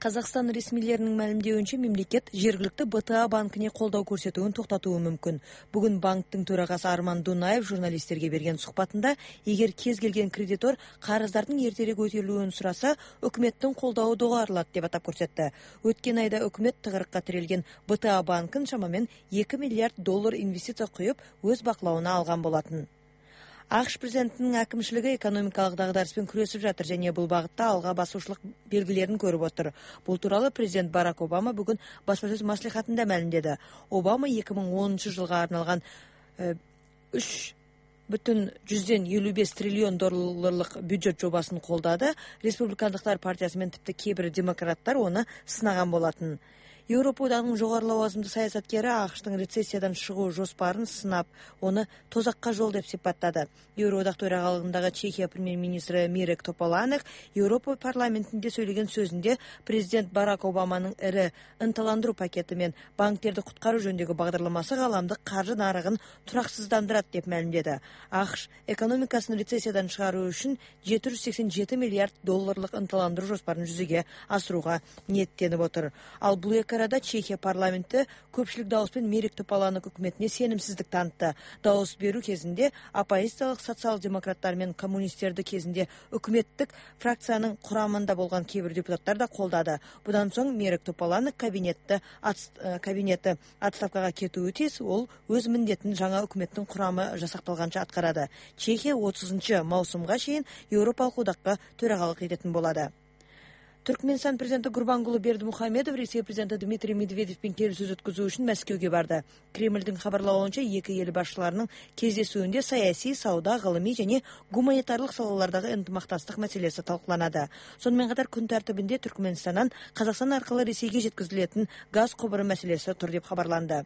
Казакстан ресмилеринин маалимдеуинче мемлекет жергиликтүү БТА банкине колдоо көрсөтүүнү токтотуу мүмкүн. Бүгүн банктын төрагасы Арман Дунаев журналисттерге берген сухбатында эгер кез келген кредитор карыздардын эртерээк өтөлүүнүн сураса, өкмөттүн колдоо доголорулат деп атап көрсөттү. Өткөн айда өкмөт тыгырыкка тирелген БТА банкын шамамен $2 миллиард инвестиция куюп, өз бакылауына алган болотун. АКШ президентинин акимчилиги экономикалык дагдарыспен күрөшүп жатыр жана бул багытта алга басуучулук белгилерин көрүп отур. Бул тууралуу президент Барак Обама бүгүн басма сөз маслихатында маалимдеди. Обама 2010 жылга арналган $3,55 триллион бюджет жобасын колдоду. Республикандыктар партиясы менен типти кээ бир демократтар оны сынаган болотун. Европа одагынын жогору лавазымдуу саясаткери АКШтын рецессиядан чыгуу жоспарын сынап, оны тозакка жол деп сипаттады. Евроодак төрагалыгындагы Чехия премьер-министри Мирек Тополанек Европа парламентинде сөйлөгөн сөзүндө президент Барак Обаманын ири ынталандыруу пакети менен банктерди куткаруу жөнүндөгү багдарламасы кааламдык каржы нарыгын тураксыздандырат деп маалимдеди. АКШ экономикасын рецессиядан чыгаруу үчүн $787 миллиард ынталандыруу жоспарын жүзөгө асырууга ниеттенип отур. Ал бул арада Чехия парламенти көпчүлүк дауыс менен Мирек Тополанек өкмөтүнө сенимсиздик таанытты. Дауыс берүү кезинде оппозициялык социал-демократтар менен коммунисттерди кезинде өкмөттүк фракциянын курамында болгон кээ бир депутаттар да колдоду. Будан соң Мирек Тополанек кабинети отставкага кетүүгө тийиз. Ол өз милдетин жаңа өкмөттүн курамы жасакталганча аткарады. Чехия 30 маусумга чейин Европалык одакка төрагалык этетін болады. Түркменстан президенти Гурбангулы Бердимухамедов Ресей президенти Дмитрий Медведевпен келишүү өткөзүү үчүн Мәскеугө барды. Кремлдин кабарлауынча эки эл башчыларынын кездесүүндө саясий, сауда, гылымый жана гуманитарлык салалардагы ынтымакташтык маселеси талкууланады. Сонун катар күн тартибинде Түркменстандан Казакстан аркылуу Ресейге жеткизилетін газ кобуру маселеси тур деп кабарланды.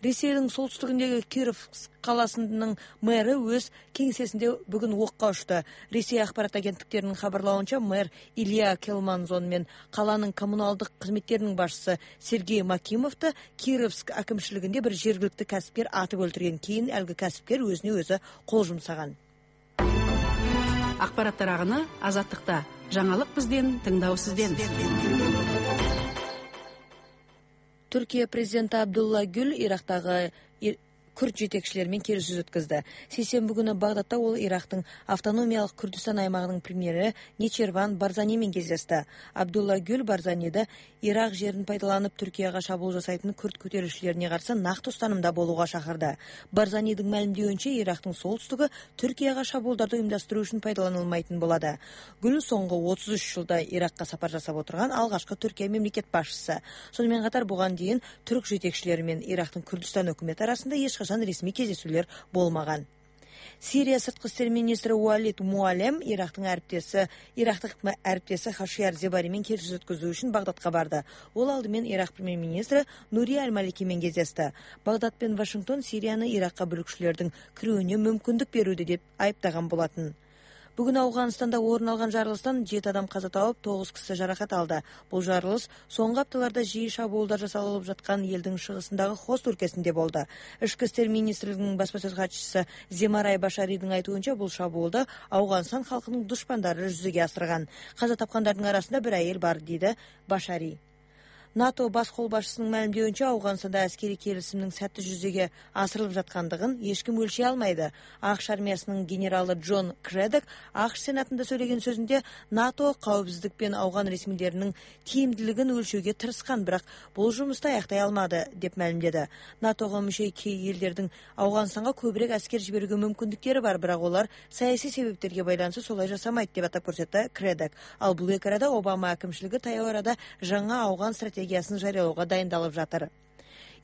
Ресейдин солтүстүгүндөгү Кировск каласынын мэрі өз кеңсесинде бүгүн окко учту. Ресей акпарат агенттиктеринин кабарлауынча мэр Илья Келманзон менен каланын коммуналдык кызметтеринин башчысы Сергей Макимовду Кировск акимчилигинде бир жергиликтүү касипкер атып өлтүргөн. Кийин алгы касипкер өзүнө өзү кол жумсаган. Акпараттар агыны Азаттыкта. Жаңалык бизден, тыңдоо сизден. Түркия президенти Абдулла Гүл Ирактагы күрд жетекчилери менен келишүү өткөздү. Сейсенби күнү Багдадта ол Ирактын автономиялык Күрдүстан аймагынын премьери Нечирван Барзани менен кездешти. Абдулла Гүл Барзаниди Ирак жерин пайдаланып Түркияга шабуул жасайтын күрд көтөрүлүшчүлөрүнө каршы нактуу станымда болууга чакырды. Барзанидин маалимдеуинче Ирактын солтүстүгү Түркияга шабуулдарды уюмдастыруу үчүн пайдаланылмайтын болады. Гүл соңку 33 жылда Иракка сапар жасап отурган алгачкы Түркия мемлекет башчысы. Сонун катар буган дейин түрк жетекчилери менен Ирактын Күрдүстан өкмөтү арасында ресми кездесүүлөр болмаган. Сирия сырткы иштер министри Уалид Муалем Ирактык әріптесі Хашияр Зебари менен келишүү өткөзүү үчүн Багдадка барды. Ол алды менен Ирак премьер-министри Нури Аль-Малики менен кездешти. Багдад пен Вашингтон Сирияны Иракка бүлүкчүлөрдүн кирүүнү мүмкүндүк берүүдө деп айыптаган болотун. Бүгүн Афганистанда орун алган жарылыштан 7 адам каза тауып, 9 киши жаракат алды. Бул жарылыш соңку апталарда жиі шабуулдар жасалып жаткан элдин чыгышындагы Хост өлкөсүндө болду. Ички иштер министрлигинин басма сөз катчысы Земарай Башаридин айтуунча, бул шабуулду Афганистан халкынын душмандары жүзөгө асырган. Каза тапкандардын арасында бир айыл бар, дейди Башари. НАТО бас кол башчысынын маалимдеуинче, Афганстанда аскери келисимдин сәттүү жүзөгө асырылып жаткандыгын эч ким өлчөй алмайды. АКШ армиясынын генералы Джон Кредек АКШ сенатында сөйлөгөн сөзүндө НАТО каапсыздык пен Афган ресмилеринин тиимдилигин өлчөөгө тырышкан, бирок бул жумушту аяктай алмады деп маалимдеди. НАТОго мүчө элдердин Афганстанга көбүрөөк аскер жиберүүгө мүмкүндүктөрү бар, бирок алар саясий себептерге байланыштуу солай жасамайт деп атап көрсөттү Кредек. Ал бул эки арада Обама акимчилиги таяу арада жаңа Афган стратегиясын жарыялоого дайындалып жатыр.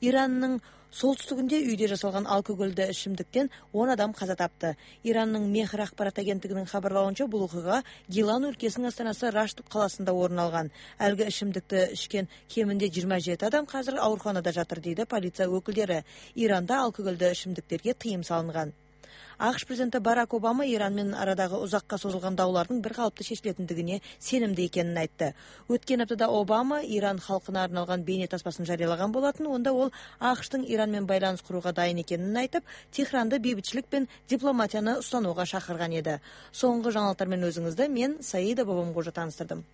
Иранның солтүстүгүндө үйдө жасалган алкогольдүү ичимдиктен 10 адам каза тапты. Иранның Мехр акпарат агенттигинин кабарлауынча, бул окуя Гилан өлкөсүнүн астанасы Раштук каласында орун алган. Алгы ичимдикти ичкен кеминде 27 адам казыр ооруканада жатыр, дейди полиция өкүлдөрү. Иранда алкогольдүү ичимдиктерге тыйым салынган. АКШ президенти Барак Обама Иран менен арадагы узакка созулган даулардын бир калыпты чечилетиндигине сенимди экенин айтты. Өткөн аптада Обама Иран халкына арналган бейне таспасын жарыялаган болотун. Онда ол АКШтын Иран менен байланыш курууга дайын экенин айтып, Техранды бейбитчилик пен дипломатияны устанууга чакырган эди. Соңку жаңылыктар менен өзүңүздү мен Саида Бабамгожа тааныстырдым.